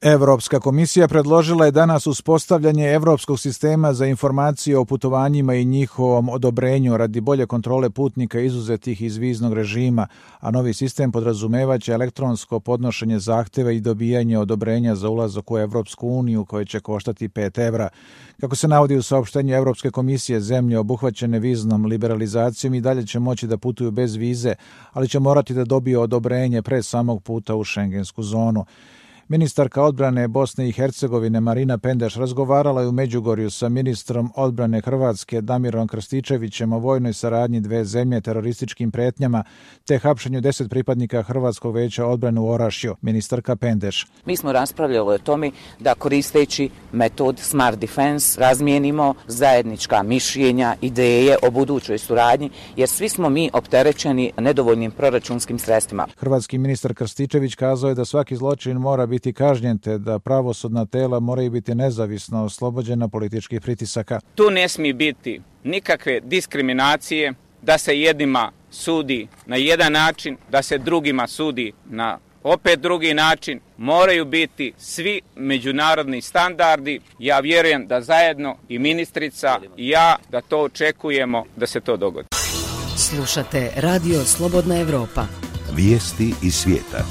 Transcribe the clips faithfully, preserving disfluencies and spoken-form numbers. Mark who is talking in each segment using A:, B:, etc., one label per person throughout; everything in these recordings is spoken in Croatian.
A: Evropska komisija predložila je danas uspostavljanje Evropskog sistema za informacije o putovanjima i njihovom odobrenju radi bolje kontrole putnika izuzetih iz viznog režima, a novi sistem podrazumevaće elektronsko podnošenje zahtjeva i dobijanje odobrenja za ulazak u Evropsku uniju koje će koštati pet evra. Kako se navodi u saopštenju Evropske komisije, zemlje obuhvaćene viznom liberalizacijom i dalje će moći da putuju bez vize, ali će morati da dobiju odobrenje pre samog puta u šengensku zonu. Ministarka odbrane Bosne i Hercegovine Marina Pendeš razgovarala je u Međugorju sa ministrom odbrane Hrvatske Damirom Krstičevićem o vojnoj saradnji dve zemlje, terorističkim pretnjama te hapšenju deset pripadnika Hrvatskog veća odbrane u Orašju. Ministarka Pendeš:
B: Mi smo raspravljali o tome da koristeći metod Smart Defense razmijenimo zajednička mišljenja, ideje o budućoj suradnji, jer svi smo mi opterećeni nedovoljnim proračunskim sredstvima.
A: Hrvatski ministar Krstičević kazao je da svaki zločin mora biti biti kažnjen te da pravosudna tela moraju biti nezavisno oslobođena političkih pritisaka.
C: Tu ne smije biti nikakve diskriminacije, da se jednima sudi na jedan način, da se drugima sudi na opet drugi način. Moraju biti svi međunarodni standardi. Ja vjerujem da zajedno i ministrica i ja da to očekujemo da se to dogodi.
D: Slušate Radio Slobodna Evropa.
E: Vijesti iz svijeta.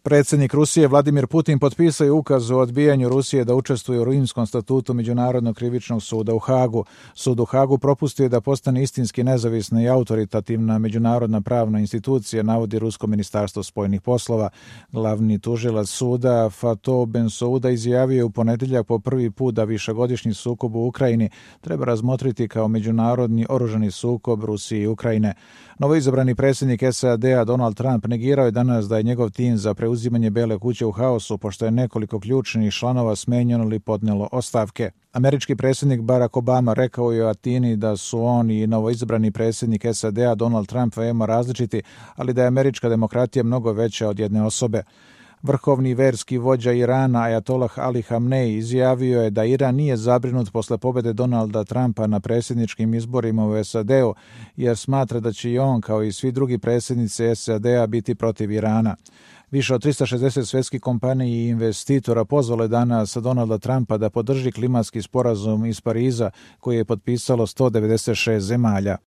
A: Predsjednik Rusije Vladimir Putin potpisao je ukaz o odbijanju Rusije da učestvuje u Rimskom statutu Međunarodnog krivičnog suda u Hagu. Sud u Hagu propustio da postane istinski nezavisna i autoritativna međunarodna pravna institucija, navodi Rusko ministarstvo spoljnih poslova. Glavni tužilac suda Fatih Bensouda izjavio je u ponedjeljak po prvi put da višegodišnji sukob u Ukrajini treba razmotriti kao međunarodni oružani sukob Rusije i Ukrajine. Novoizabrani predsjednik S A D-a Donald Trump negirao je danas da je njegov tim za preuzimanje Bele kuće u haosu, pošto je nekoliko ključnih članova smenjeno ili podnijelo ostavke. Američki predsjednik Barack Obama rekao je u Atini da su on i novoizabrani predsjednik S A D-a Donald Trump veoma različiti, ali da je američka demokratija mnogo veća od jedne osobe. Vrhovni verski vođa Irana Ajatolah Ali Hamnej izjavio je da Iran nije zabrinut posle pobjede Donalda Trumpa na predsjedničkim izborima u S A D-u, jer smatra da će i on, kao i svi drugi predsjednici S A D-a, biti protiv Irana. Više od tristo šezdeset svjetskih kompanija i investitora pozvalo je danas Donalda Trumpa da podrži klimatski sporazum iz Pariza koji je potpisalo sto devedeset šest zemalja.